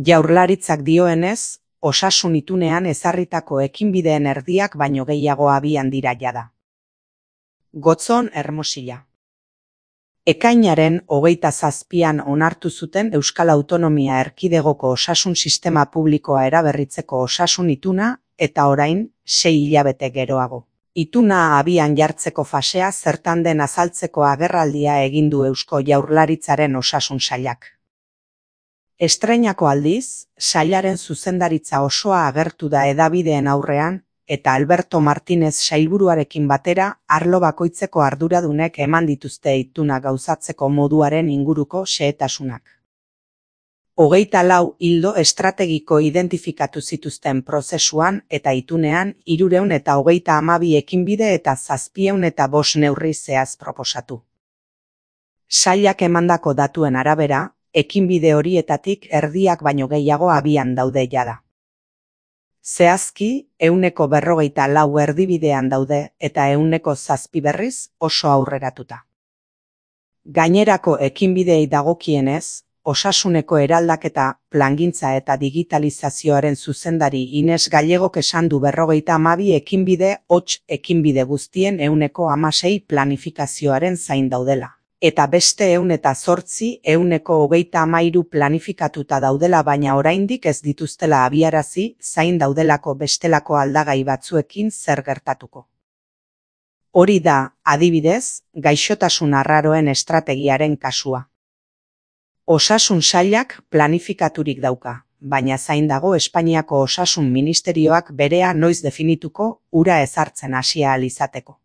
Jaurlaritzak dioenez, osasun itunean ezarritako ekinbideen erdiak baino gehiago abian dira jada. Gotzon Hermosilla. Ekainaren 27an onartu zuten Euskal Autonomia Erkidegoko osasun sistema publikoa eraberritzeko osasun ituna eta orain 6 hilabete geroago. Ituna abian jartzeko fasea zertan den azaltzeko agerraldia egin du Eusko Jaurlaritzaren osasun sailak. Estreinako aldiz, sailaren zuzendaritza osoa agertu da hedabideen aurrean eta Alberto Martínez sailburuarekin batera arlo bakoitzeko arduradunek eman dituzte ituna gauzatzeko moduaren inguruko xehetasunak. 24 ildo estrategiko identifikatu zituzten prozesuan eta itunean 332 ekinbide eta 705 neurri zehaz proposatu. Sailak emandako datuen arabera, ekinbide horietatik erdiak baino gehiago abian daude jada. Zehazki, 154 erdibidean daude eta 107 berriz oso aurreratuta. Gainerako ekinbideei dagokienez, osasuneko eraldaketa, plangintza eta digitalizazioaren zuzendari Ines Gallegok esan du 52 ekinbide hots ekinbide guztien 116 planifikazioaren zain daudela. Eta beste 108 133 planifikatuta daudela baina oraindik ez dituztela abiarazi zain daudelako bestelako aldagai batzuekin zer gertatuko. Hori da, adibidez, gaixotasun arraroen estrategiaren kasua. Osasun sailak planifikaturik dauka, baina zain dago Espainiako Osasun Ministerioak berea noiz definituko ura ezartzen hasia ahal izateko.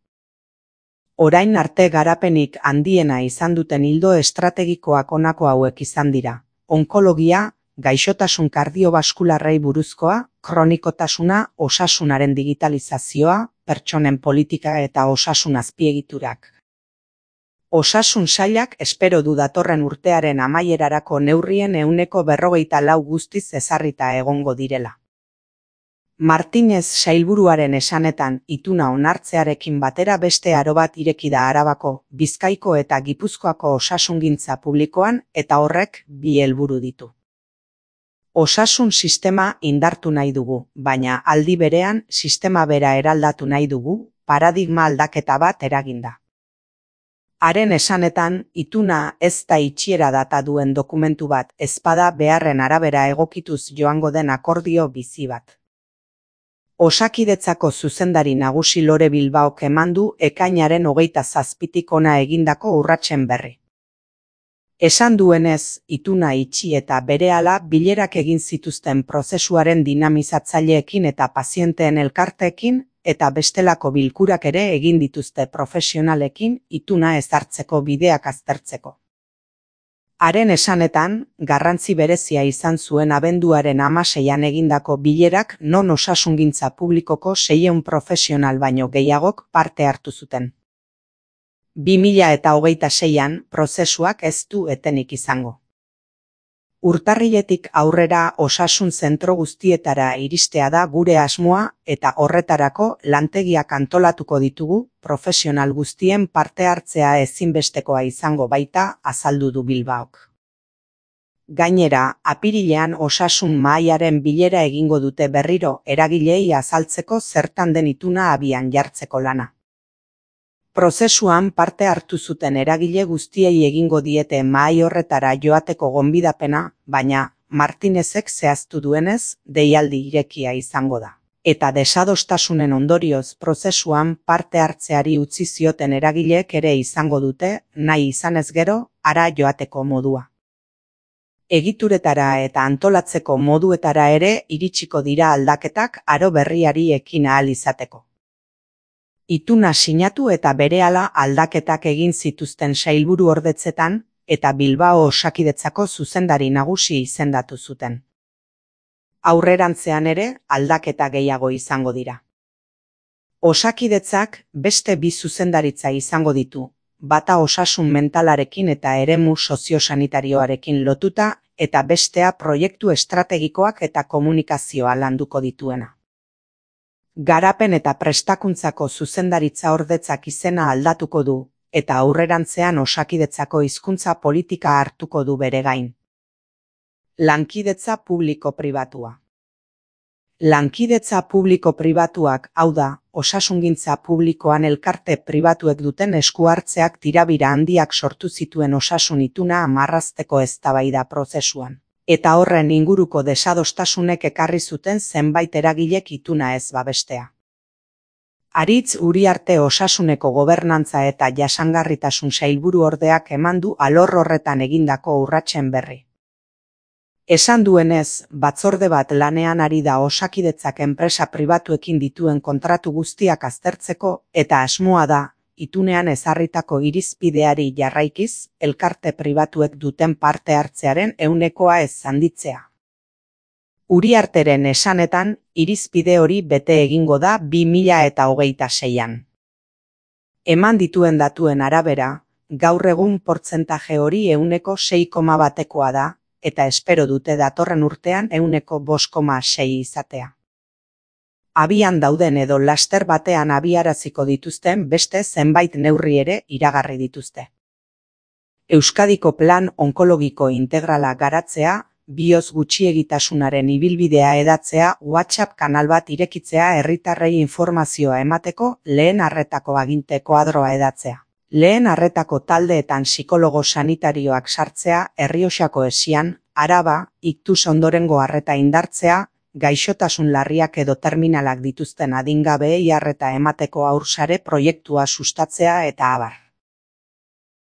Orain arte garapenik handiena izan duten ildo estrategikoak honako hauek izan dira: onkologia, gaixotasun kardiobaskularrei buruzkoa, kronikotasuna, osasunaren digitalizazioa, pertsonen politika eta osasun azpiegiturak. Osasun sailak espero du datorren urtearen amaierarako neurrien 154 guztiz ezarrita egongo direla. Martínez sailburuaren esanetan ituna onartzearekin batera beste aro bat ireki da Arabako, Bizkaiko eta Gipuzkoako osasungintza publikoan eta horrek 2 helburu ditu. Osasun sistema indartu nahi dugu, baina aldi berean sistema bera eraldatu nahi dugu, paradigma aldaketa bat eraginda. Haren esanetan, ituna ez da itxiera data duen dokumentu bat, ezpada beharren arabera egokituz joango den akordio bizi bat. Osakidetzako zuzendari nagusi Lore Bilbaok eman du ekainaren 27tik hona egindako urratsen berri. Esan duenez, ituna itxi eta berehala bilerak egin zituzten prozesuaren dinamizatzaileekin eta pazienteen elkarteekin eta bestelako bilkurak ere egin dituzte profesionalekin ituna ezartzeko bideak aztertzeko. Haren esanetan, garrantzi berezia izan zuen abenduaren 16an egindako bilerak non osasungintza publikoko 600 profesional baino gehiagok parte hartu zuten. 2026an prozesuak ez du etenik izango. Urtarriletik aurrera osasun zentro guztietara iristea da gure asmoa eta horretarako lantegiak antolatuko ditugu, profesional guztien parte hartzea ezinbestekoa izango baita azaldu du Bilbaok. Gainera, apirilean osasun mahaiaren bilera egingo dute berriro eragileei azaltzeko zertan den ituna abian jartzeko lana. Prozesuan parte hartu zuten eragile guztiei egingo diete mahai horretara joateko gonbidapena, baina Martínezek zehaztu duenez, deialdi irekia izango da. Eta desadostasunen ondorioz prozesuan parte hartzeari utzi zioten eragileek ere izango dute, nahi izanez gero, hara joateko modua. Egituretara eta antolatzeko moduetara ere iritsiko dira aldaketak aro berriari ekin ahal izateko. Ituna sinatu eta berehala aldaketak egin zituzten sailburu ordetzetan eta Bilbao Osakidetzako zuzendari nagusi izendatu zuten. Aurrerantzean ere aldaketa gehiago izango dira. Osakidetzak beste 2 zuzendaritza izango ditu, bata osasun mentalarekin eta eremu soziosanitarioarekin lotuta eta bestea proiektu estrategikoak eta komunikazioa landuko dituena. Garapen eta prestakuntzako zuzendaritza ordetzak izena aldatuko du, eta aurrerantzean Osakidetzako hizkuntza politika hartuko du bere gain. Lankidetza publiko-pribatua. Lankidetza publiko-pribatuak, hau da, osasungintza publikoan elkarte pribatuek duten eskuhartzeak tirabira handiak sortu zituen osasun ituna marrazteko eztabaida prozesuan, eta horren inguruko desadostasunek ekarri zuten zenbait eragilek ituna ez babestea. Aritz Uriarte Osasuneko Gobernantza eta Jasangarritasun Sailburuordeak eman du alor horretan egindako urratsen berri. Esan duenez, batzorde bat lanean ari da Osakidetzak enpresa pribatuekin dituen kontratu guztiak aztertzeko eta asmoa da, itunean ezarritako irizpideari jarraikiz, elkarte pribatuek duten parte hartzearen 100% ez handitzea. Uriarteren esanetan, irizpide hori bete egingo da 2026an. Eman dituen datuen arabera, gaur egun portzentaje hori 6,1%koa da, eta espero dute datorren urtean 5,6% izatea. Abian dauden edo laster batean abiaraziko dituzten beste zenbait neurri ere iragarri dituzte. Euskadiko plan onkologiko integrala garatzea, bihotz gutxiegitasunaren ibilbidea hedatzea, WhatsApp kanal bat irekitzea herritarrei informazioa emateko, lehen arretako aginte koadroa hedatzea. Lehen arretako taldeetan psikologo sanitarioak sartzea, Errioxako Esian, Araba, iktus ondorengo arreta indartzea, gaixotasun larriak edo terminalak dituzten adingabeei arreta emateko haursare proiektua sustatzea eta abar.